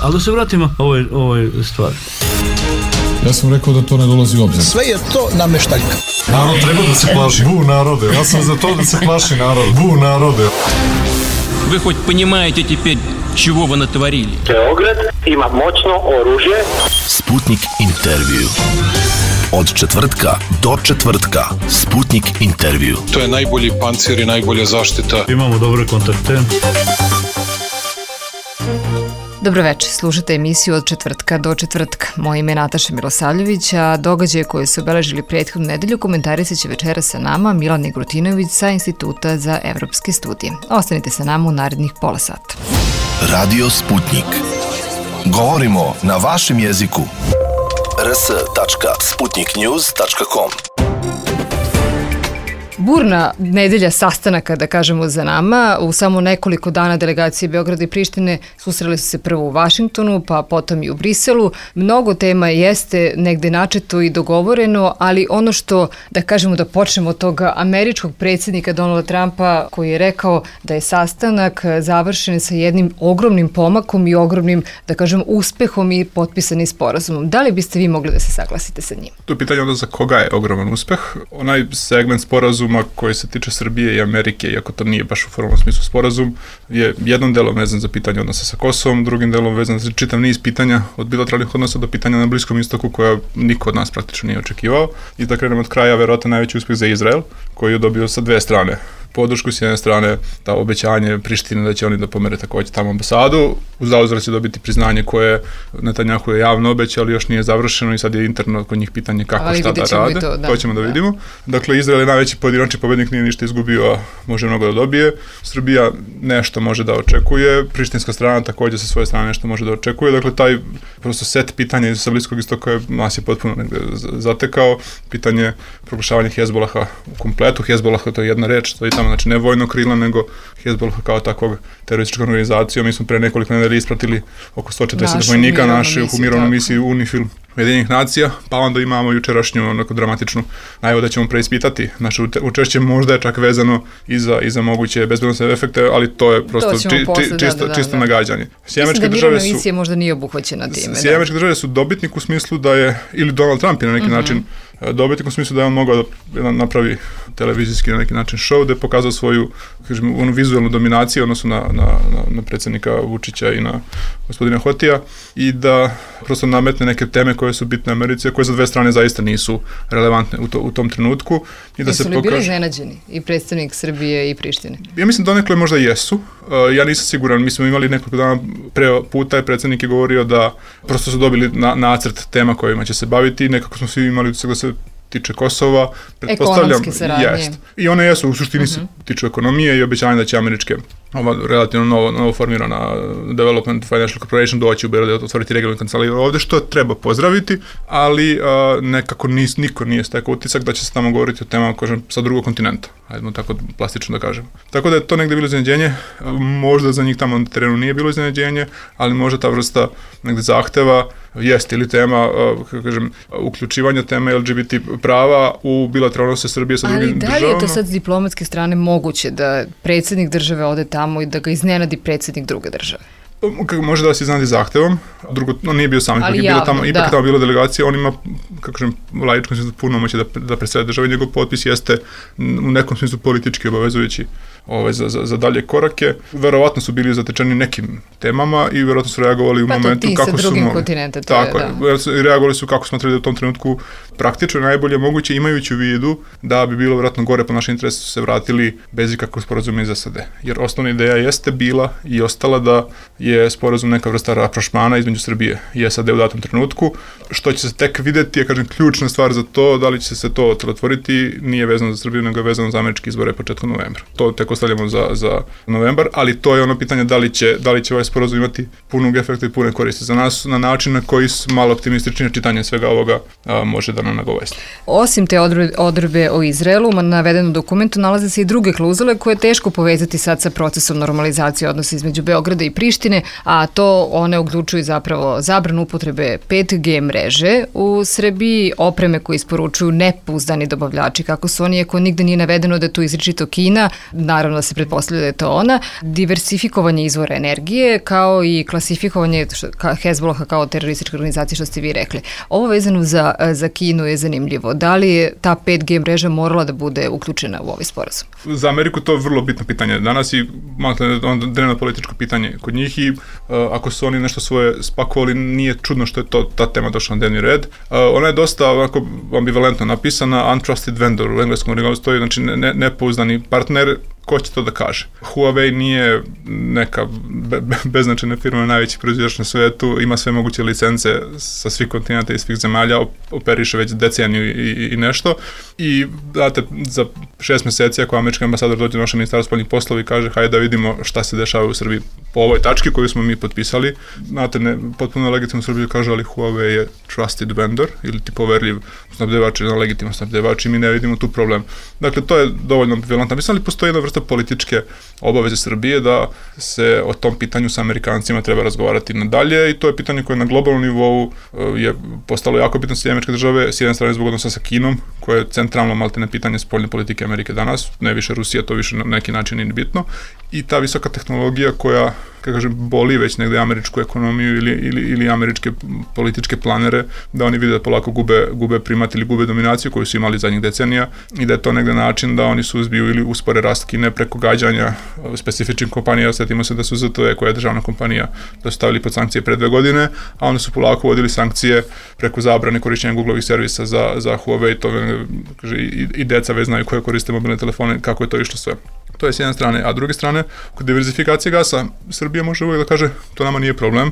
Ali da se vratimo ovoj stvari. Ja sam rekao da to ne dolazi u obzir. Sve je to nameštaljka. Narod treba da se plaši. Bu narode. Ja sam za to da se plaši narod. Bu narode. Вы хоть понимаете теперь, чего вы натворили? Beograd ima moćno oružje. Sputnik intervju. Od četvrtka do četvrtka. Sputnik intervju. To je najbolji pancir i najbolja zaštita. Imamo dobre kontakte. Dobroveče, slušate emisiju Od četvrtka do četvrtka. Moje ime je Nataša Milosavljević, a događaje koje su obeležili prethodnu nedelju komentarisat će večera sa nama Milan Negrutinović sa Instituta za evropske studije. Ostanite sa nama u narednih pola sata. Radio Sputnik. Govorimo na vašem jeziku. rs.sputniknews.com. Burna nedelja sastanaka, da kažemo, za nama. U samo nekoliko dana delegacije Beograda i Prištine susreli su se prvo u Vašingtonu, pa potom i u Briselu. Mnogo tema jeste negde načeto i dogovoreno, ali ono što, da kažemo, da počnemo od toga američkog predsjednika Donalda Trumpa, koji je rekao da je sastanak završen sa jednim ogromnim pomakom i ogromnim, da kažem, uspehom i potpisanim sporazumom. Da li biste vi mogli da se saglasite sa njim? To je pitanje onda za koga je ogroman uspeh. Onaj segment sporazuma koji se tiče Srbije i Amerike, iako to nije baš u formalnom smislu sporazum, je jednom delom vezan za pitanje odnosa sa Kosovom, drugim delom vezan za čitav niz pitanja od bilateralnih odnosa do pitanja na Bliskom istoku koja niko od nas praktično nije očekivao. I da krenemo od kraja, verovatno najveći uspeh za Izrael, koji je dobio sa dve strane. Podršku s jedne strane, ta obećanje Prištine da će oni da pomere takođe tamo ambasadu, u zauzvrat će dobiti priznanje koje Netanjahu je javno obećao, ali još nije završeno i sad je interno kod njih pitanje kako šta da rade. To ćemo da vidimo. Dakle, Izrael je najveći pojedinačni pobednik, nije ništa izgubio, a može mnogo da dobije. Srbija nešto može da očekuje, prištinska strana takođe sa svoje strane nešto može da očekuje. Dakle, taj prosto set pitanja iz Bliskog istoka nas je potpuno negde zatekao. Pitanje proglašavanja Hezbolaha u kompletu. Hezbolaha, to je jedna reč, to je tamo, znači ne vojno krila, nego Hezbollah kao takvog terorističkog organizacijom. Mi smo pre nekoliko nedelja ispratili oko 140 vojnika naših u mirovnoj misiji UNIFIL Ujedinjenih nacija, pa onda imamo jučerašnju onako dramatičnu najavu da ćemo preispitati naše učešće, možda je čak vezano i za moguće bezbednosne efekte, ali to je prosto čisto nagađanje. Mislim da mirovna misija možda nije obuhvaćena time. Sjedinjene države su dobitnik u smislu da je, ili Donald Trump je na neki način dobitnik u smislu da je on mogao da napravi televizijski na neki način show, da je pokazao svoju, kažem, onu vizualnu dominaciju odnosno na predsjednika Vučića i na gospodina Hotija i da prosto nametne neke teme koje su bitne Americi, a koje za dve strane zaista nisu relevantne u tom trenutku. I da jesu li bili iznenađeni i predstavnik Srbije i Prištine? Ja mislim da donekle možda jesu. Ja nisam siguran, mi smo imali nekoliko dana pre puta je predsjednik je govorio da prosto su dobili nacrt tema kojima će se baviti i nekako smo svi imali da se tiče Kosova, ekonomske saradnje. I one jesu, u suštini se tiču ekonomije i obećanja da će američke, ova relativno novo formirana Development Financial Corporation doći u Beograd, otvoriti regionalnu kancelariju ovde, što treba pozdraviti, ali nekako niko nije stekao utisak da će se tamo govoriti o temama, kažem, sa drugog kontinenta. Hajdemo tako plastično da kažemo. Tako da je to negde bilo iznenađenje, možda za njih tamo na terenu nije bilo iznenađenje, ali možda ta vrsta negde zahteva jeste ili tema, kažem, uključivanja teme LGBT prava u bilateralne odnose Srbije sa drugim državama. Ali da li je to sad s diplomatske strane moguće da predsjednik države ode tamo i da ga iznenadi predsjednik druge države? Može da se iznenadi zahtevom, drugo, on nije bio sam, ipak je tamo bila delegacija, on ima, kako kažem, laičkom smislu puno moći da predstavlja države, njegov potpis jeste u nekom smislu politički obavezujući za dalje korake. Verovatno su bili zatečeni nekim temama i verovatno su reagovali u momentu kako su... Pa to ti sa drugim kontinenta, reagovali su kako smatrali da u tom trenutku praktično najbolje moguće, imajući u vidu da bi bilo verovatno gore po našem interesu se vratili bez ikakvog sporazuma iz SAD. Jer osnovna ideja jeste bila i ostala da je sporazum neka vrsta rapprochemana između Srbije i SAD u datom trenutku, što će se tek videti, ja kažem, ključna stvar za to, da li će se to otvoriti, nije vezano za Srbiju, nego je vezano za američke izbore početkom novembra. To tek ostavljamo za novembar, ali to je ono pitanje da li će ovaj sporazum imati punog efekta i pune koristi za nas na način na koji malo optimističnije čitanje svega ovoga može da nam nagovesti. Osim te odredbe o Izraelu, na navedenom dokumentu nalaze se i druge klauzule koje je teško povezati sad sa procesom normalizacije odnosa između Beograda i Prištine, a to one uključuju zapravo zabranu upotrebe 5G mreže u Srbiji, opreme koje isporučuju nepouzdani dobavljači, kako su oni, ako nigde nije navedeno da je tu izričito Kina, naravno da se pretpostavlja da je to ona, diversifikovanje izvora energije, kao i klasifikovanje Hezbolaha kao terorističke organizacije, što ste vi rekli. Ovo vezano za Kinu je zanimljivo. Da li je ta 5G mreža morala da bude uključena u ovaj sporazum? Za Ameriku to je vrlo bitno pitanje danas i dnevno političko pitanje kod njih i ako su oni nešto svoje spakovali, nije čudno što je ta tema došla na dnevni red. Ona je dosta ovako ambivalentno napisana, untrusted vendor u engleskom originalu stoji, znači nepouzdani partner. Ko će to da kaže? Huawei nije neka beznačajna firma, najveći proizvođač na svetu, ima sve moguće licence sa svih kontinenta i svih zemalja, operiše već deceniju i nešto. I znate, za 6 meseci ako američki ambasador dođe u naše ministarstvo spoljnih poslova i kaže hajde da vidimo šta se dešava u Srbiji po ovoj tački koju smo mi potpisali. Znate, potpuno legitimno u Srbiji kaže, ali Huawei je trusted vendor ili ti poverljiv snabdevač ili legitiman snabdevač i mi ne vidimo tu problem. Dakle, to je dovoljno ambivalentno. Mislim, ali postoji jedna vrsta političke obaveze Srbije da se o tom pitanju sa Amerikancima treba razgovarati nadalje i to je pitanje koje na globalnom nivou je postalo jako bitno sa američke države, s jedne strane zbog odnosa sa Kinom, koje je centralno maltene pitanje spoljne politike Amerike danas, ne više Rusija, to više na neki način nije bitno, i ta visoka tehnologija koja, kako kažem, boli već negde američku ekonomiju ili američke političke planere, da oni vide da polako gube primat ili gube dominaciju koju su imali zadnjih decenija i da je to negde način da oni suzbiju ili uspore rast Kine preko gađanja specifičnih kompanija. Sjetimo se da su ZTE, koja je državna kompanija, da su stavili pod sankcije pre 2 godine, a oni su polako vodili sankcije preko zabrane korišćenja Googlovih servisa za Huawei, to kaže, i deca već znaju koje koriste mobilne telefone, kako je to išlo sve. To je s jedne strane, a s druge strane, kod diversifikacije gasa, Srbija može uvijek da kaže, to nama nije problem,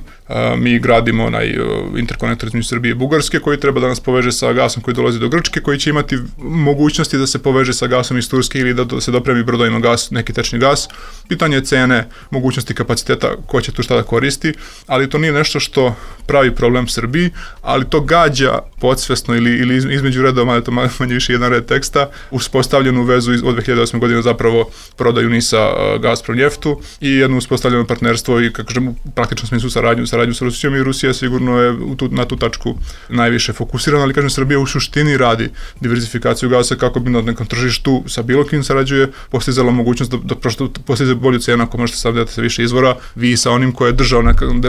mi gradimo onaj interkonektor između Srbije i Bugarske, koji treba da nas poveže sa gasom koji dolazi do Grčke, koji će imati mogućnosti da se poveže sa gasom iz Turske ili da se dopremi brodovima gas, neki tečni gas. Pitanje je cene, mogućnosti kapaciteta, ko će tu šta da koristi, ali to nije nešto što pravi problem Srbiji, ali to gađa podsvesno ili između redova, mada to manje više jedan red teksta, uspostavljenu vezu od 2008. godine zapravo prodaju NIS-a Gazprom njeftu i jedno uspostavljeno partnerstvo i, kako kažem, u praktičnom smislu saradnju sa Rusijom, i Rusija sigurno je na tu tačku najviše fokusirana, ali kažem, Srbija u suštini radi diversifikaciju gasa kako bi na nekom tržištu sa bilo kim sarađuje postizala mogućnost da prosto postiže bolju cenu ako možete stavljati sa više izvora, vi sa onim ko je držao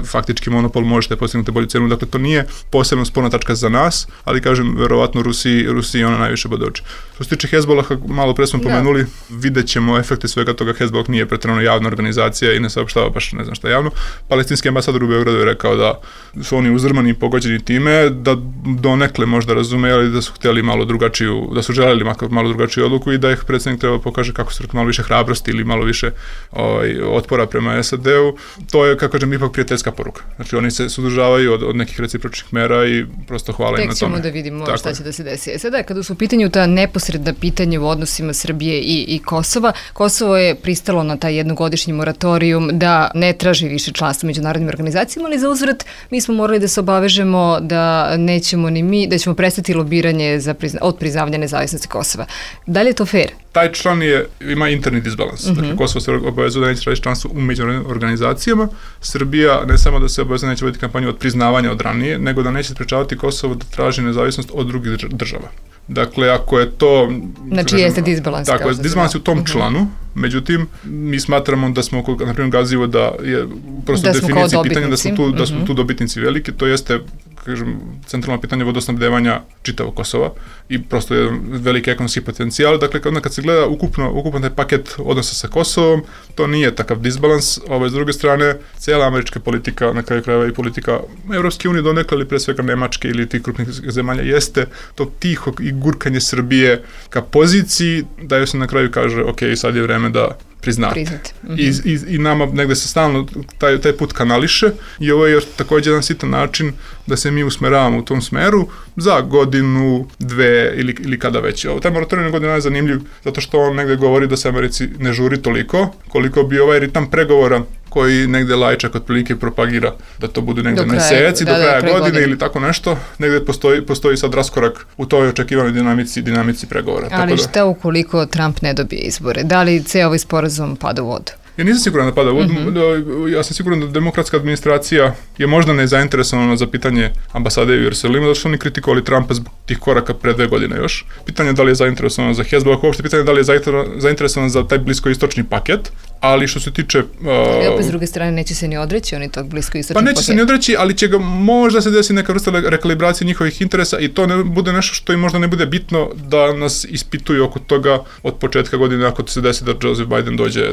faktički monopol možete postignути bolju cenu, dakle to nije posebno sporna tačka za nas, ali kažem, verovatno Rusiji ona najviše bode oči. Što se tiče Hezbolaha, malo pre smo pomenuli, vidjet ćemo efekte svega toga. Hezbollah nije pretjerano javna organizacija i ne saopštava baš ne znam šta javno. Palestinski ambasador u Beogradu je rekao da su oni uzdrmani i pogođeni time, da donekle možda razume, ali da su htjeli malo drugačiju, da su želeli malo drugačiju odluku i da ih predsjednik treba pokaže kako su malo više hrabrosti ili malo više otpora prema SAD-u. To je, kako kažem, ipak prijateljska poruka. Znači oni se suzdržavaju od nekih recipročnih mera i prosto hvala im na tome. Tek ćemo da vidimo šta će da se desi. Sada, kada su u pitanju ta neposredna pitanja u odnosima Srbije i Kosova, Kosovo je pristalo na taj jednogodišnji moratorijum da ne traži više članstvo u međunarodnim organizacijama, ali za uzvrat mi smo morali da se obavežemo da nećemo ni mi, da ćemo prestati lobiranje od priznavanja nezavisnosti Kosova. Da li je to fair? Taj član ima interni disbalans. Dakle, Kosovo se obavezuje da neće tražiti članstvo u međunarodnim organizacijama. Srbija ne samo da se obavezuje neće voditi kampanju od priznavanja od ranije, nego da neće sprečavati Kosovo da traži nezavisnost od drugih država. Dakle, ako je to... Znači jeste disbalans. Tako je, disbalans u tom članu, međutim, mi smatramo da smo, na primjer, gazivo da je prosto definicija pitanja da su tu dobitnici veliki, to jeste, kažem, centralno pitanje vodosnabdevanja čitavog Kosova i prosto je veliki ekonomski potencijal. Dakle, kad se gleda ukupan taj paket odnosa sa Kosovom, to nije takav disbalans. S druge strane, cijela američka politika, na kraju krajeva i politika Evropske unije donekle, ili pre svega Nemačke ili tih krupnih zemalja, jeste to tiho i gurkanje Srbije ka poziciji da joj se na kraju kaže, ok, sad je vreme da priznate. I nama negde se stalno taj put kanališe i ovo je još također jedan sitan način da se mi usmeravamo u tom smeru za godinu, 2 ili kada već. Taj moratorijum godina je zanimljiv zato što on negde govori da se Americi ne žuri toliko koliko bi ovaj ritam pregovora koji negde Lajčak otprilike propagira da to bude negde meseci do kraja godine ili tako nešto, negde postoji sad raskorak u toj očekivanoj dinamici pregovora. Ali šta ukoliko Trump ne dobije izbore? Da li ceo ovaj sporazum pada u vodu? Ja nisam siguran da pada. Ja sam siguran da demokratska administracija je možda nezainteresovana za pitanje ambasade u Jerusalimu, zato što oni kritikovali Trumpa zbog tih koraka pre 2 godine još. Pitanje je da li je zainteresovana za Hezbollah, uopšte pitanje je da li je zainteresovana za taj bliskoistočni paket, ali što se tiče... Ali opet s druge strane neće se ni odreći oni tog bliskoistočnog paketa. Pa neće se ni odreći, ali će ga možda se desi neka vrsta rekalibracije njihovih interesa i to ne bude nešto što im možda ne bude bitno da nas ispituju oko toga od početka godine ako se desi da Joseph Biden dođe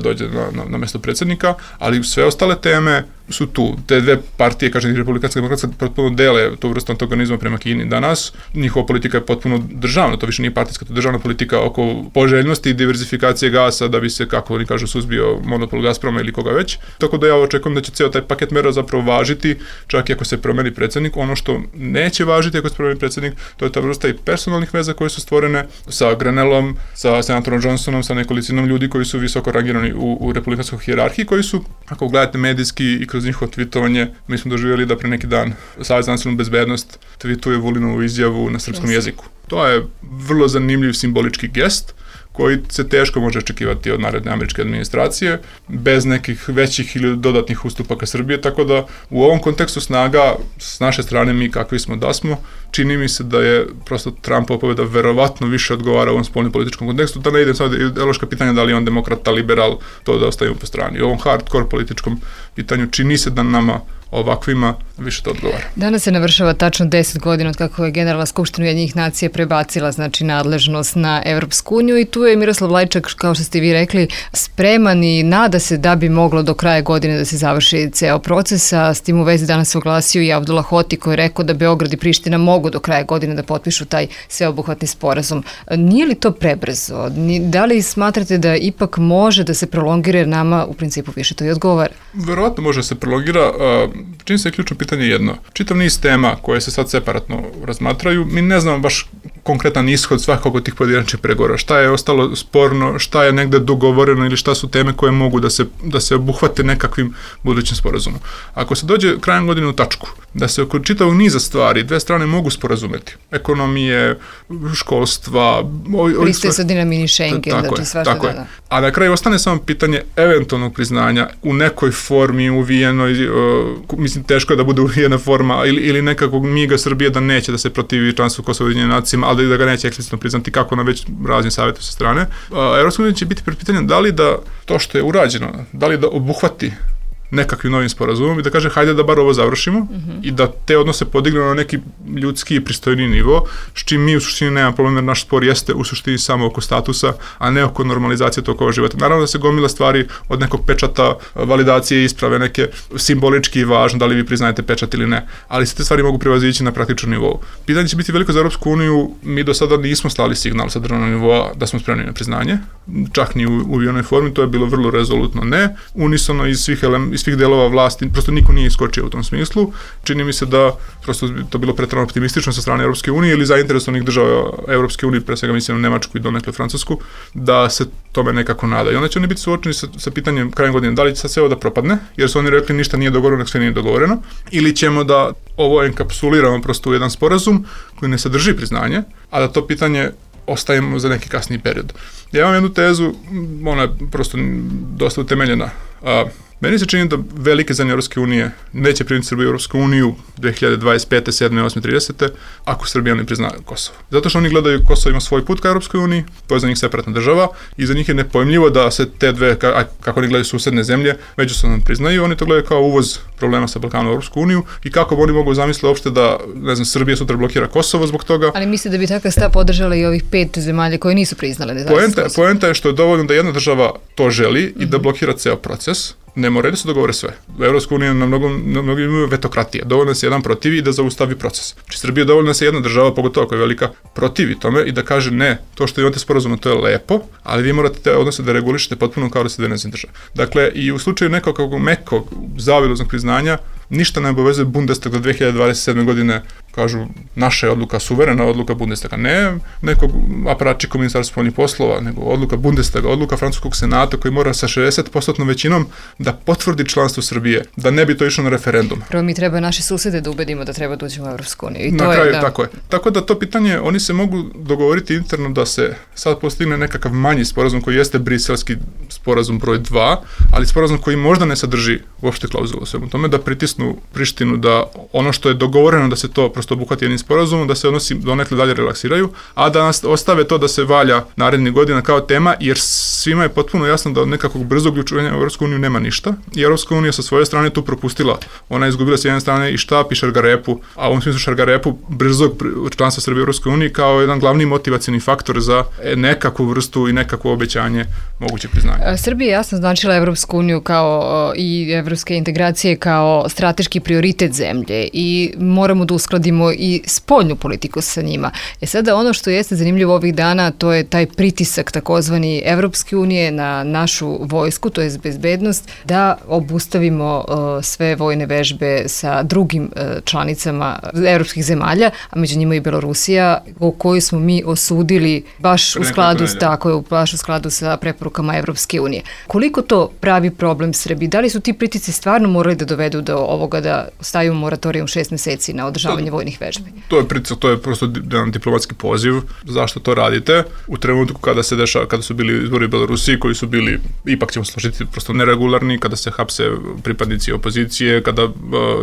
na mesto predsjednika, ali sve ostale teme su tu. Te dve partije, kažem, republikanska i demokratska, potpuno dele tu vrstu antagonizma prema Kini danas. Njihova politika je potpuno državna, to više nije partijska, to je državna politika oko poželjnosti i diverzifikacije gasa da bi se, kako oni kažu, suzbio monopol Gazproma ili koga već. Tako da ja očekujem da će ceo taj paket mera zapravo važiti, čak i ako se promeni predsjednik. Ono što neće važiti ako se promeni predsjednik, to je ta vrsta i personalnih veza koje su stvorene sa Granelom, sa senatorom Johnsonom, sa nekolicinom ljudi koji su visoko rangirani u republikanskoj hijerarhiji, koji su, ako gledate medijski i kroz njihovo tweetovanje, mi smo doživjeli da pre neki dan Savez za nacionalnu bezbednost tweetuje Vulinovu izjavu na srpskom jeziku. To je vrlo zanimljiv simbolički gest koji se teško može očekivati od naredne američke administracije, bez nekih većih ili dodatnih ustupaka Srbije, tako da u ovom kontekstu snaga s naše strane, mi kakvi smo da smo, čini mi se da je prosto Trumpova pobjeda verovatno više odgovara u ovom spoljnom političkom kontekstu, da ne idem sad ideološka pitanja da li je on demokrata, liberal, to da ostavimo po strani. U ovom hardcore političkom pitanju čini se da nama ovakvima više to odgovara. Danas se navršava tačno 10 godina od kako je Generalna skupština Ujedinjenih nacija prebacila nadležnost na Evropsku uniju i tu je Miroslav Lajčak, kao što ste vi rekli, spreman i nada se da bi moglo do kraja godine da se završi ceo proces, a s tim u vezi danas se oglasio i Abdullah Hoti koji je rekao da Beograd i Priština mogu do kraja godine da potpišu taj sveobuhvatni sporazum. Nije li to prebrzo? Da li smatrate da ipak može da se prolongira jer nama u principu više to i odgovara? Verovatno može da se prolongira. Čini se ključno pitanje jedno. Čitav niz tema koje se sad separatno razmatraju, mi ne znamo baš konkretan ishod svakog od tih pojedinačnih pregovora. Šta je ostalo sporno, šta je negde dogovoreno ili šta su teme koje mogu da se obuhvate nekakvim budućim sporazumom. Ako se dođe krajem godine u tačku, da se oko čitavog niza stvari dve strane mogu sporazumeti. Ekonomije, školstva... Pristaje sad i na mini Schengen, da ti svašta dana. A na kraju ostane samo pitanje eventualnog priznanja u nekoj formi uvijenoj, mislim teško je da bude uvijena forma ili nekakvog miga Srbije da neće da se protivi članstvu Kosova u Ujedinjenim nacijama, ali da ga neće eksplicitno priznati kako na već raznim savjetu sa strane. Evropska unija će biti pred pitanjem da li da to što je urađeno, da li da obuhvati nekakvim novim sporazumom i da kaže hajde da bar ovo završimo i da te odnose podignemo na neki ljudski i pristojni nivo, s čim mi u suštini nema problem jer naš spor jeste u suštini samo oko statusa, a ne oko normalizacije tokova života. Naravno da se gomila stvari od nekog pečata, validacije, isprave, neke simbolički važno, da li vi priznajete pečat ili ne, ali se te stvari mogu prevazići na praktičnom nivou. Pitanje će biti veliko za Europsku uniju, mi do sada nismo slali signal sa državnog nivoa da smo spremni na priznanje, čak ni u onoj formi, to je bilo vrlo rezolutno ne, unisono iz svih delova vlasti, prosto niko nije iskočio u tom smislu. Čini mi se da prosto to bilo preterano optimistično sa strane Europske unije ili zainteresovanih država Europske unije, pre svega mislim na Nemačku i donekle Francusku, da se tome nekako nada. I onda će oni biti suočeni sa pitanjem krajem godine da li će sad sve ovo da propadne, jer su oni rekli ništa nije dogovoreno, nek sve nije dogovoreno, ili ćemo da ovo enkapsuliramo prosto u jedan sporazum koji ne sadrži priznanje, a da to pitanje ostavimo za neki kasniji period. Ja imam jednu tezu, ona je prosto dosta utemeljena. Meni se čini da velike zemlje Europske unije neće primiti Srbiju u Europsku uniju 2025. 7. 8. 30. ako Srbija ne prizna Kosovo. Zato što oni gledaju Kosovo ima svoj put ka Europskoj uniji, to je za njih separatna država i za njih je nepojmljivo da se te dve, kako oni gledaju susedne zemlje, međusobno priznaju, oni to gledaju kao uvoz problema sa Balkanom u Europsku uniju i kako oni mogu zamisliti uopšte da, ne znam, Srbija sutra blokira Kosovo zbog toga. Ali misli da bi takav stav podržala i ovih 5 zemalja koje nisu priznale nezavisnost Kosova? Poenta je što je dovoljno da jedna država to želi i da blokira ceo proces. Ne moraju da se dogovore sve. U Evropskoj uniji na mnogo imaju vetokratije. Dovoljno da se jedan protivi i da zaustavi proces. Znači Srbija je dovoljno da se jedna država, pogotovo koja je velika, protivi tome i da kaže ne, to što imate sporazum, to je lepo, ali vi morate te odnose da regulišete potpuno kao da ste nezavisna država. Dakle, i u slučaju nekog mekog zaobilaznog priznanja, ništa ne obavezuje Bundestag do 2027. godine kažu naša je odluka, suverena odluka Bundestaga, ne nekog aparačika Ministarstva spoljnih poslova, nego odluka Bundestaga, odluka Francuskog senata koji mora sa 60% većinom da potvrdi članstvo Srbije, da ne bi to išlo na referendum. Prvo mi treba naše susede da ubedimo da treba da uđemo u Evropsku uniju. Na kraju, tako je. Tako da to pitanje, oni se mogu dogovoriti interno da se sad postigne nekakav manji sporazum koji jeste briselski sporazum broj 2, ali sporazum koji možda ne sadrži uopšte klauzulu u svemu tome, da pritisnu Prištinu da ono što je dogovoreno da se to prosto obuhvati jednim sporazumom, da se odnosi donekle dalje relaksiraju, a da nas ostave to da se valja narednih godina kao tema, jer svima je potpuno jasno da od nekakvog brzog uključivanja u Evropsku uniju nema ništa i Evropska unija sa svoje strane tu propustila. Ona je izgubila s jedne strane i štap i šargarepu, a u ovom smislu šargarepu brzog članstva Srbije u Evropskoj uniji kao jedan glavni motivacioni faktor za nekakvu vrstu i nekakvo obećanje moguće priznanje. Srbija je jasno značila Evropsku uniju kao i evropske integracije kao strateški prioritet zemlje i moramo da uskladimo i spoljnu politiku sa njima. Sada ono što jeste zanimljivo ovih dana, to je taj pritisak takozvani Evropske unije na našu vojsku, to je bezbednost, da obustavimo sve vojne vežbe sa drugim članicama evropskih zemalja, a među njima i Belorusija, o kojoj smo mi osudili baš u skladu sa preporukama Evropske unije. Koliko to pravi problem Srbiji? Da li su ti pritisci stvarno morali da dovedu do ovoga da stavimo moratorijum 6 meseci na održavanje vojnih vežbi? To je pritisak, to je prosto jedan diplomatski poziv. Zašto to radite? U trenutku kada su bili izbori u Belorusiji, koji su bili, ipak ćemo složiti, prosto neregularni, kada se hapse pripadnici opozicije, kada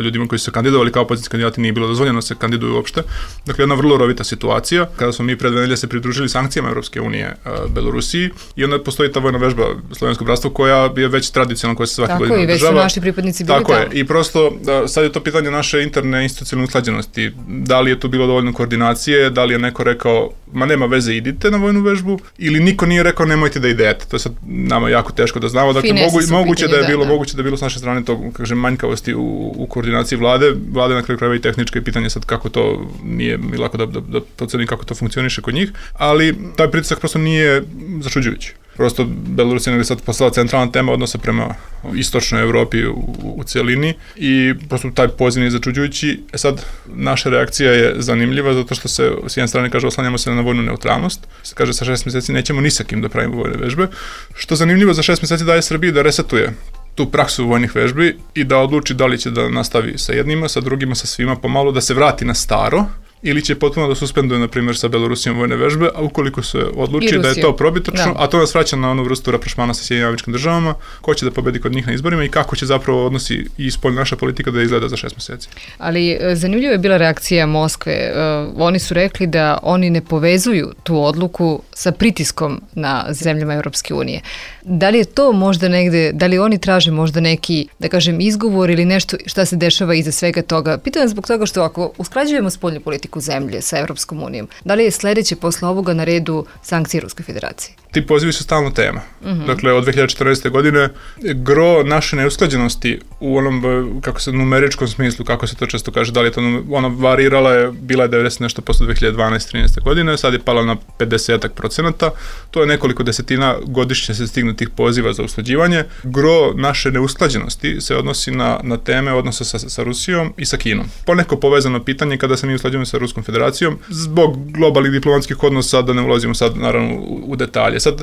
ljudima koji su se kandidovali kao opozicijski kandidati nije bilo dozvoljeno da se kandiduju uopšte. Dakle, jedna vrlo rovita situacija. Kada smo mi pred 2 nedelje se pridružili sankcijama Evropske unije Belorusiji i onda postoji ta vojna vežba Slovensko bratstvo koja je već tradicionalna, koja se svake godine održava. Tako i već su naši pripadnici bili tamo. I prosto sad je to pitanje naše interne institucionalne usklađenosti. Da li je tu bilo dovoljno koordinacije, da li je neko rekao ma nema veze, idite na vojnu vežbu, ili niko nije rekao nemojte da idete. To je sad nama jako teško da znamo. Dakle, moguće da je bilo s naše strane to, kažem, manjkavosti u koordinaciji vlade. Vlade na kraju krajeva i tehničko je pitanje sad kako to nije mi lako da procenim kako to funkcioniše kod njih, ali taj pritisak prosto nije začuđujući. Prosto Belorusija je sad postala centralna tema odnosa prema istočnoj Evropi u cijelini i prosto taj poziv nije začuđujući. Sad, naša reakcija je zanimljiva zato što se s jedne strane kaže oslanjamo se na vojnu neutralnost, se kaže sa 6 meseci nećemo ni sa kim da pravimo vojne vežbe, što zanimljivo za 6 meseci daje Srbiji da resetuje tu praksu vojnih vežbi i da odluči da li će da nastavi sa jednima, sa drugima, sa svima pomalo, da se vrati na staro, ili će potpuno da suspenduje, na primjer, sa Belorusijom vojne vežbe, a ukoliko se odluči da je to probitačno, a to nas vraća na onu vrstu raprašmana sa Sjedinjenim Američkim Državama, ko će da pobedi kod njih na izborima i kako će zapravo odnosi i spoljna naša politika da izgleda za 6 meseci. Ali zanimljiva je bila reakcija Moskve. Oni su rekli da oni ne povezuju tu odluku sa pritiskom na zemljama Evropske unije. Da li je to možda negde, da li oni traže možda neki, da kažem, izgovor ili nešto šta se dešava iza svega toga? Pitam zbog toga što ako usklađujemo spoljnu politiku zemlje sa Evropskom unijom, da li je sledeće posle ovoga na redu sankcije Ruskoj federaciji? Ti pozivi su stalno tema. Dakle, od 2014. godine gro naše neusklađenosti u onom, kako se numeričkom smislu, kako se to često kaže, da li je to ona varirala je, bila je 90 nešto posto 2012-13. godine, sad je pala na 50%. To je nekoliko desetina godišnje se stigne tih poziva za usklađivanje. Gro naše neusklađenosti se odnosi na teme odnosa sa Rusijom i sa Kinom. Poneko povezano pitanje kada se mi usklađujemo sa Ruskom federacijom, zbog globalnih diplomatskih odnosa, da ne ulazimo sad naravno u detalje. Sad,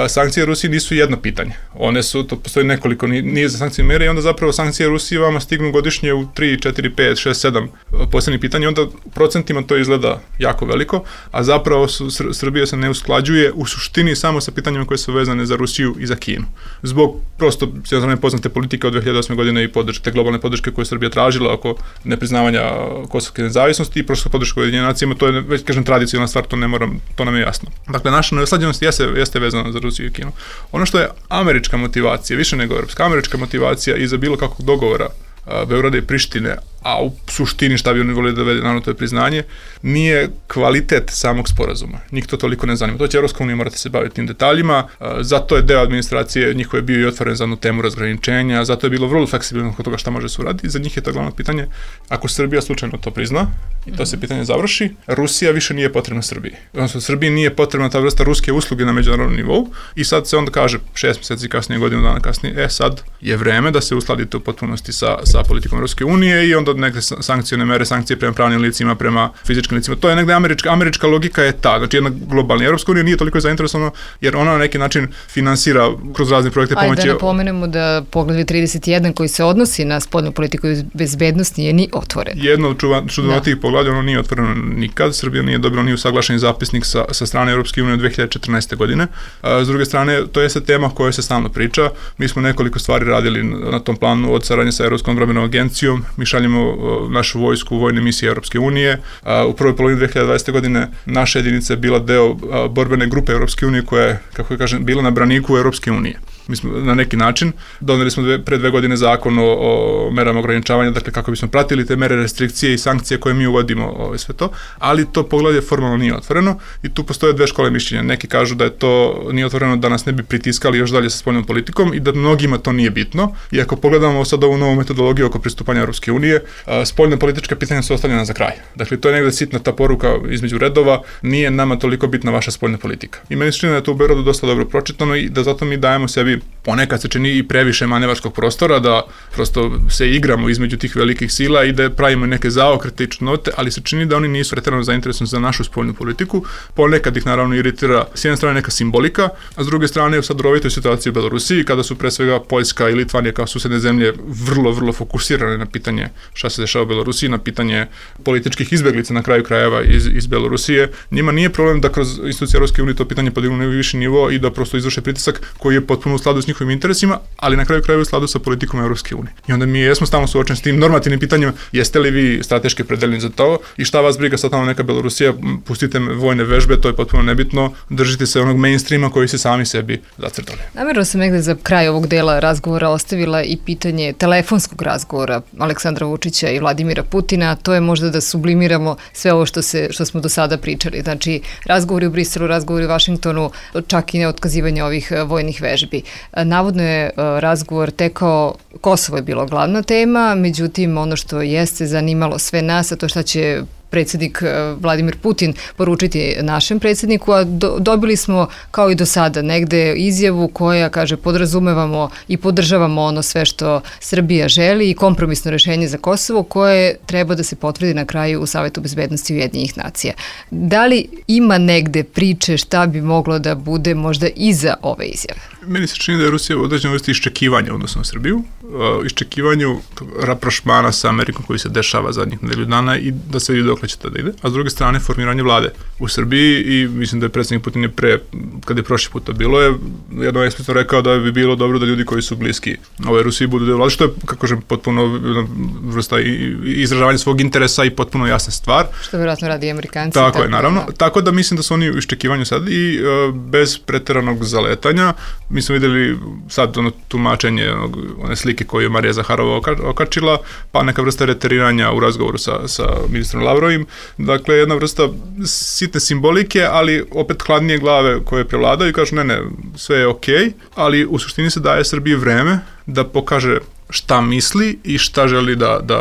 sankcije Rusiji nisu jedno pitanje. One su, to postoji nekoliko nije za sankcije mere i onda zapravo sankcije Rusiji vama stignu godišnje u 3, 4, 5, 6, 7 posljednjih pitanja, onda u procentima to izgleda jako veliko, a zapravo Srbija se ne usklađuje u suštini samo sa pitanjima koje su vezane za Rusiju i za Kinu. Zbog prosto sve poznate politike od 2008. godine i te globalne podrške koje je Srbija tražila oko nepriznavanja kosovske nezavisnosti i prosto podrške Ujedinjenim nacijama, to je, već kažem, tradicionalna stvar, to nam je jasno. Dakle, naša neusklađenost jeste vezana za Rusiju i Kinu. Ono što je američka motivacija, više nego europska, američka motivacija iza bilo kakvog dogovora Beograda i Prištine, a u suštini šta bi oni volili da vede, naravno to je priznanje, nije kvalitet samog sporazuma. Njih to toliko ne zanima. To će Evropska unija morati se baviti tim detaljima, zato je deo administracije njihove bio i otvoren za jednu temu razgraničenja, zato je bilo vrlo fleksibilno kod toga šta može se uraditi. Za njih je to glavno pitanje. Ako Srbija slučajno to prizna i to se pitanje završi, Rusija više nije potrebna Srbiji. Odnosno, Srbiji nije potrebna ta vrsta ruske usluge na međunarodnom nivou i sad se onda kaže 6 meseci kasnije, godinu dana kasnije, sad je vreme da se uskladite u potpunosti sa politikom Ruske unije i onda neke sankcione mere, sankcije prema pravnim licima, prema fizičkim licima. To je negde američka logika je ta, znači jedna globalna. Evropska unija nije toliko zainteresovana jer ona na neki način finansira kroz razne projekte pomoći. Ajde da napomenemo da Poglavlje 31 koji se odnosi na spoljnu politiku i bezbednost nije ni otvoren. Jedno od čudnovatijih poglavlja, ono nije otvoreno nikad. Srbija nije dobila ni usaglašeni zapisnik sa strane Evropske unije od 2014. godine. S druge strane, to je tema koja se stalno priča. Mi smo nekoliko stvari radili na tom planu od saradnje sa Evropskom odbrambenom agencijom. Mi šaljemo našu vojsku u vojne misije Evropske unije. U prvoj polovini 2020. godine naša jedinica je bila deo borbene grupe Evropske unije koja je, kako kažem, bila na braniku Evropske unije. Mi smo na neki način doneli smo pre 2 godine zakon o merama ograničavanja, dakle kako bismo pratili te mere restrikcije i sankcije koje mi uvodimo, sve to, ali to poglavlje formalno nije otvoreno i tu postoje 2 škole mišljenja. Neki kažu da je to nije otvoreno da nas ne bi pritiskali još dalje sa spoljnom politikom i da mnogima to nije bitno. I ako pogledamo sad ovu novu metodologiju oko pristupanja Evropske unije, spoljne političke pitanja su ostavljena za kraj. Dakle, to je negde sitna ta poruka između redova, nije nama toliko bitna vaša spoljna politika. I meni se čini da je to u Beogradu dosta dobro pročitano i da zato mi dajemo sebi ponekad se čini i previše manevarskog prostora, da prosto se igramo između tih velikih sila i da pravimo neke zaokrete i čudnote, ali se čini da oni nisu preterano zainteresovani za našu spoljnu politiku. Ponekad ih naravno iritira s jedne strane neka simbolika, a s druge strane u sad rovitoj situaciji u Belorusiji, kada su pre svega Poljska i Litvanija kao susedne zemlje vrlo fokusirane na pitanje šta se dešava u Belorusiji, na pitanje političkih izbeglica na kraju krajeva iz Belorusije. Njima nije problem da kroz institucije Evropske unije to pitanje podignu na viši nivo i da prosto izvrše pritisak koji je potpuno u skladu s njihovim interesima, ali na kraju krajeva u skladu sa politikom Evropske unije. I onda mi jesmo stalno suočeni s tim normativnim pitanjima, jeste li vi strateški opredeljeni za to i šta vas briga sad tamo neka Belorusija, pustite vojne vežbe, to je potpuno nebitno, držite se onog mainstreama koji se sami sebi zacrtali. Namerno sam negde za kraj ovog dela razgovora ostavila i pitanje telefonskog razgovora Aleksandra Vučića i Vladimira Putina, to je možda da sublimiramo sve ovo što smo do sada pričali. Znači, razgovori u Briselu, razgovori u Vašingtonu, čak i neotkazivanje ovih vojnih vežbi. Navodno je razgovor tekao, Kosovo je bilo glavna tema, međutim ono što jeste zanimalo sve nas, a to šta će predsjednik Vladimir Putin poručiti našem predsjedniku, a dobili smo kao i do sada negde izjavu koja kaže podrazumevamo i podržavamo ono sve što Srbija želi i kompromisno rešenje za Kosovo koje treba da se potvrdi na kraju u Savetu bezbednosti Ujedinjenih nacija. Da li ima negde priče šta bi moglo da bude možda iza ove izjave? Meni se čini da je Rusija u određenoj vrsti iščekivanja odnosno na Srbiju, iščekivanju raprošmana sa Amerikom koji se dešava zadnjih nedelju dana i da se vidi dokle će to da ide, a s druge strane formiranje vlade u Srbiji i mislim da je predsjednik Putin kad je prošli put to bilo, je jedno eksplicitno rekao da bi bilo dobro da ljudi koji su bliski Rusiji budu deo vlade, što je, kako kažem, potpuno vrsta izražavanje svog interesa i potpuno jasna stvar. Što vjerojatno radi Amerikanci. Tako je, naravno. Tako da mislim da su oni u iščekivanju sad i bez preteranog zaletanja. Mi smo videli sad tumačenje one slike koju je Marija Zaharova okačila, pa neka vrsta reteriranja u razgovoru sa ministrom Lavrovim. Dakle, jedna vrsta sitne simbolike, ali opet hladnije glave koje prevladaju i kažu ne, sve je okej, ali u suštini se daje Srbiji vreme da pokaže šta misli i šta želi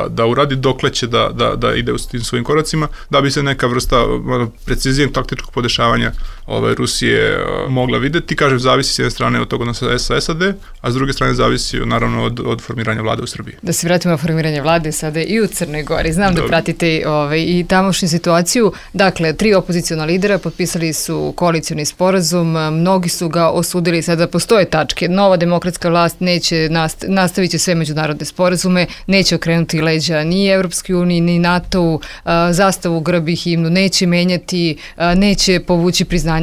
da uradi, dokle će da ide u tim svojim koracima, da bi se neka vrsta precizijeg taktičkog podešavanja Rusije mogla videti. Kažem, zavisi s jedne strane od toga odnosa sa SAD, a s druge strane zavisi naravno od formiranja vlade u Srbiji. Da se vratimo na formiranje vlade sada i u Crnoj Gori. Znam da pratite i tamošnju situaciju. Dakle, 3 opoziciona lidera potpisali su koalicioni sporazum, mnogi su ga osudili, sada postoje tačke. Nova demokratska vlast neće nastavit će sve međunarodne sporazume, neće okrenuti leđa ni Evropskoj uniji, ni NATO-u, zastavu, grb i himnu neće menjati, neće povući priznanje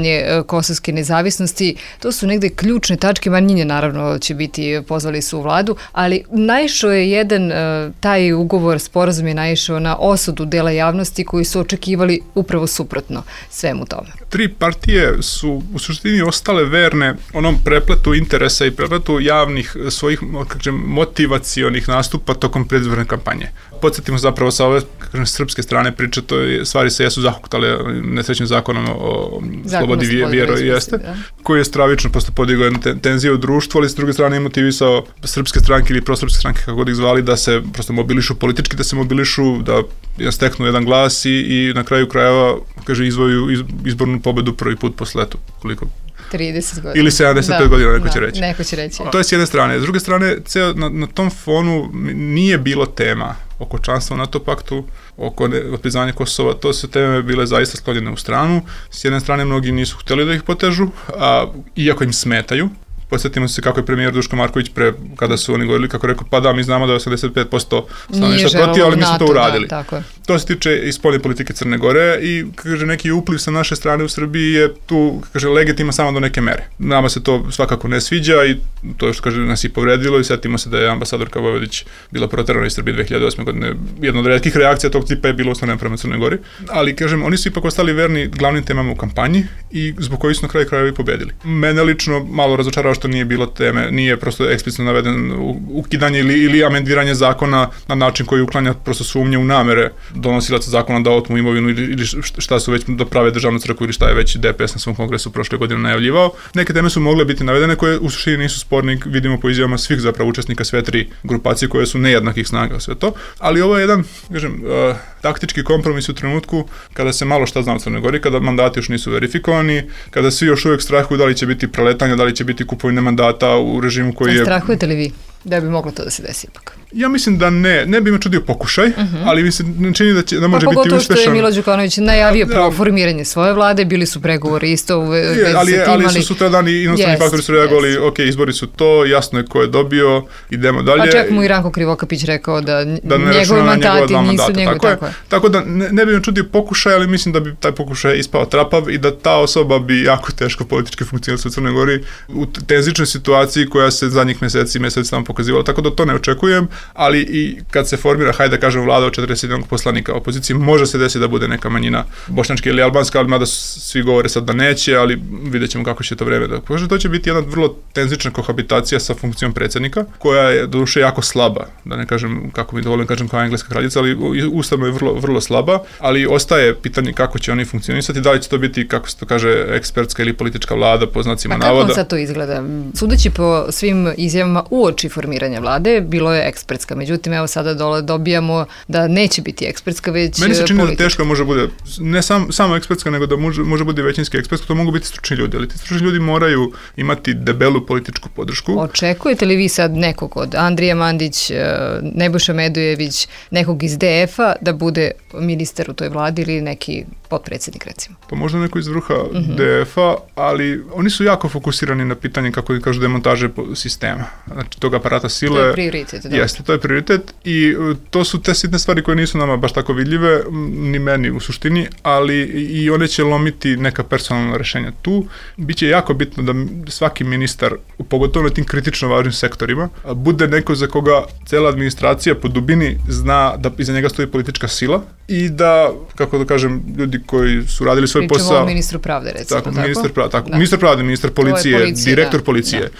kosovske nezavisnosti. To su negde ključne tačke, Manjinje naravno će biti, pozvali su u vladu, ali naišao je jedan, taj ugovor, sporazum je naišao na osudu dela javnosti koji su očekivali upravo suprotno svemu tome. 3 partije su u suštini ostale verne onom prepletu interesa i prepletu javnih svojih motivacionih nastupa tokom predizborne kampanje. Podsjetimo zapravo sa ove srpske strane priče, stvari se jesu zahuktale nesrećnim zakonom o slobodi vjeroispovesti, koji je stravično posto podigao jednu tenziju u društvu, ali s druge strane je motivisao srpske stranke ili prosrpske stranke, kako god ih zvali, da se prosto mobilišu politički, da se mobilišu, da steknu jedan glas i na kraju krajeva, kaže, izvoju izbornu pobedu prvi put posle koliko 30 godina. Ili 75 godina, neko će reći. Neko će reći. To je s jedne strane. S druge strane, na tom fonu nije bilo tema oko članstva u NATO paktu, oko priznanja Kosova, to su teme bile zaista sklonjene u stranu. S jedne strane, mnogi nisu htjeli da ih potežu, iako im smetaju. Podsjetimo se kako je premijer Duško Marković kada su oni govorili, kako rekao, pa da, mi znamo da je 85% stanovništva protiv, ali mi smo to uradili. Da, tako je. To se tiče i spoljne politike Crne Gore i, kaže, neki upliv sa naše strane u Srbiji je tu, kaže, legitima samo do neke mere. Nama se to svakako ne sviđa i to je što, kaže, nas i povredilo i setimo se da je ambasadorka Vojvodić bila proterana iz Srbije 2008. godine. Jedna od retkih reakcija tog tipa je bilo uslovljena prema Crnoj Gori, ali, kažem, oni su ipak ostali verni glavnim temama u kampanji i zbog kojih su na kraju krajeva i pobedili. Mene lično malo razočarao što nije bilo teme, nije prosto eksplicitno naveden ukidanje ili amendiranje zakona na način koji uklanja prosto sumnje u namere donosilaca zakona da otmu imovinu ili šta su već da prave državnu crkvu ili šta je već DPS na svom kongresu prošle godine najavljivao. Neke teme su mogle biti navedene koje u suštini nisu sporne, vidimo po izjavama svih zapravo učesnika sve tri grupacije koje su nejednakih snaga sve to, ali ovo je jedan, kažem, taktički kompromis u trenutku kada se malo šta zna u Crnoj Gori, kada mandati još nisu verifikovani, kada svi još uvijek strahuju da li će biti preletanja, da li će biti kupovine mandata u režimu koji je... Strahujete li vi da bi moglo to da se desi ipak? Ja mislim da ne bi me čudio pokušaj, ali mi se ne čini da može biti uspešan. Pogotovo što je Milo Đukanović najavio prvo formiranje svoje vlade, bili su pregovori isto u vezi sa tim, ali su sutradan i inostrani faktori su reagovali, ok, izbori su to, jasno je ko je dobio, idemo dalje. Pa čak mu i Ranko Krivokapić rekao da njegovi mandati nisu njegovi, tako je. Tako da ne bi me čudio pokušaj, ali mislim da bi taj pokušaj ispao trapav i da ta osoba bi jako teško politički funkcionirala u Crnoj Gori u tenzičnoj situaciji koja se zadnjih meseci tamo pokazivala, tako da to ne očekujem, ali i kad se formira, hajde da kažem, vlada od 41 poslanika opozicije, može se desiti da bude neka manjina bošnjačka ili albanska, ali mada svi govore sad da neće, ali vidjet ćemo kako će to vreme da pokaže. To će biti jedna vrlo tenzična kohabitacija sa funkcijom predsjednika, koja je doduše jako slaba, da ne kažem, kako mi dovoljno kažem, kao engleska kraljica, ali ustavno je vrlo, vrlo slaba, ali ostaje pitanje kako će oni funkcionisati, da li će to biti, kako se to kaže, ekspertska ili politička vlada, po znacima navoda. Kako sad to izgleda? Sudeći po svim izjavama uoči formiranja vlade, bilo je ekspertska. Međutim, evo sada dobijamo da neće biti ekspertska, već politička. Meni se čini da teško može bude, ne samo ekspertska, nego da može bude većinski ekspertska, to mogu biti stručni ljudi, ali ti stručni ljudi moraju imati debelu političku podršku. Očekujete li vi sad nekog od Andrija Mandić, Nebojša Medojević, nekog iz DF-a da bude ministar u toj vladi ili neki potpredsjednik, recimo? Pa možda neko iz vrha DF-a, ali oni su jako fokusirani na pitanje, kako kažu, demontaže sistema. Znači, tog aparata sile. To je prioritet. Jeste, to je prioritet i to su te sitne stvari koje nisu nama baš tako vidljive, ni meni u suštini, ali i one će lomiti neka personalna rešenja tu. Biće jako bitno da svaki ministar, pogotovo na tim kritično važnim sektorima, bude neko za koga cela administracija po dubini zna da iza njega stoji politička sila i da, kako da kažem, ljudi koji su radili svoj posao... Pričamo o ministru pravde, recimo, tako? Ministar pravde, ministar policije, direktor policije.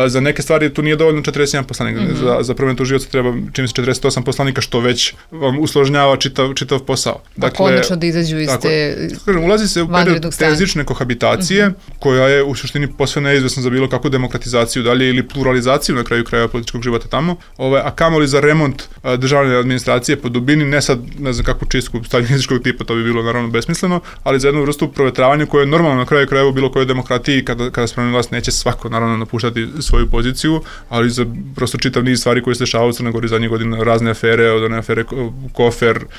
Za neke stvari tu nije dovoljno 41 poslanika. Za prvom tužioca treba, čini se, 48 poslanika, što već vam usložnjava čitav posao. Dakle, konačno da izađu iz te ulazi se u period tenzične kohabitacije, koja je u suštini posve neizvesna za bilo kakvu demokratizaciju dalje ili pluralizaciju na kraju krajeva političkog života tamo, a kamoli za remont državne administracije po dubini, ne sad, ne znam kakvu čistku staljinističkog tipa, to bi bilo naravno besmisleno, ali za jednu vrstu provetravanja koje je normalno na kraju krajeva u bilo kojoj demokratiji, kada spremni vlast neće svako naravno napuštati svoju poziciju, ali za prosto čitav niz stvari koje se dešavaju u Crnoj Gori zadnjih godina, razne afere, od one afere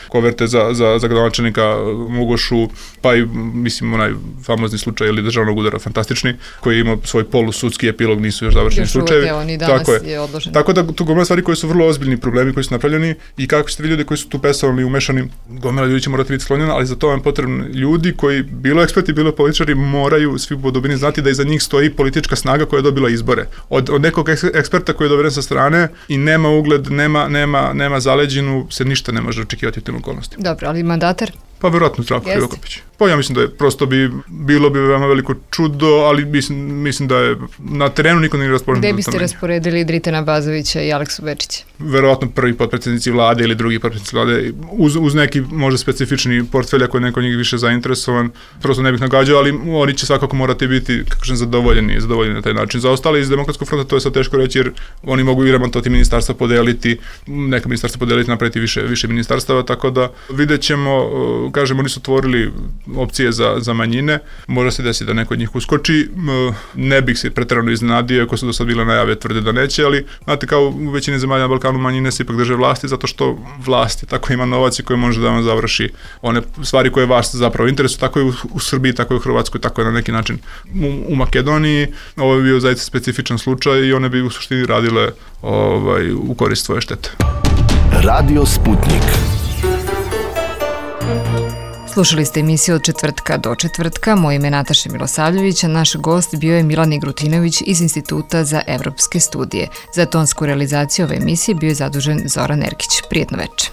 koverte za gradonačelnika Mugošu, pa i, mislim, onaj famozni slučaj ili državnog udara, fantastični, koji ima svoj polusudski epilog, nisu još završeni slučajevi. Tako da tu gomila stvari koje su vrlo ozbiljni problemi koji su napravljeni i kako ćete vi ljudi koji su tu personalni umešani, gomila ljudi će morati biti sklonjena, ali za to vam potrebni ljudi koji, bilo eksperti, bilo političari, moraju svi po dubini znati da iza njih stoji politička snaga koja je dobila izbore. Od nekog eksperta koji je doveden sa strane i nema ugled, nema zaleđinu, se ništa ne može očekivati u tim okolnostima. Dobro, ali mandatar? Pa verovatno Zdravko Krivokapić. Pa ja mislim da je prosto bilo bi veoma veliko čudo, ali mislim da je na terenu niko nije raspoređen. Gde biste rasporedili Dritana Bazovića i Aleksu Bečića? Verovatno prvi potpredsjednici vlade ili drugi potpredsjednici vlade, uz neki možda specifični portfelj ako je neko njih više zainteresovan. Prosto ne bih nagađao, ali oni će svakako morati biti, kako kažem, zadovoljeni na taj način. Za ostali iz Demokratskog fronta to je sad teško reći, jer oni mogu i remontovati ministarstva, podeliti, neka ministarstva podeliti, napraviti više ministarstava, tako da vidjet ćemo kažemo, nisu otvorili opcije za manjine, može se desiti da neko od njih uskoči. Ne bih se preterano iznenadio, ako su do sad bile najave, tvrde da neće, ali znate, kao u većini zemalja na Balkanu, manjine se ipak drže vlasti, zato što vlasti tako ima novac i koji može da vam završi one stvari koje vas zapravo interesuju, tako je u Srbiji, tako je u Hrvatskoj, tako je na neki način u Makedoniji. Ovo je bio zaista specifičan slučaj i one bi u suštini radile u korist svoje štete. Radio Sputnik. Slušali ste emisiju od četvrtka do četvrtka. Moje ime je Nataša Milosavljević, a naš gost bio je Milan Igrutinović iz Instituta za evropske studije. Za tonsku realizaciju ove emisije bio je zadužen Zoran Erkić. Prijetno večer.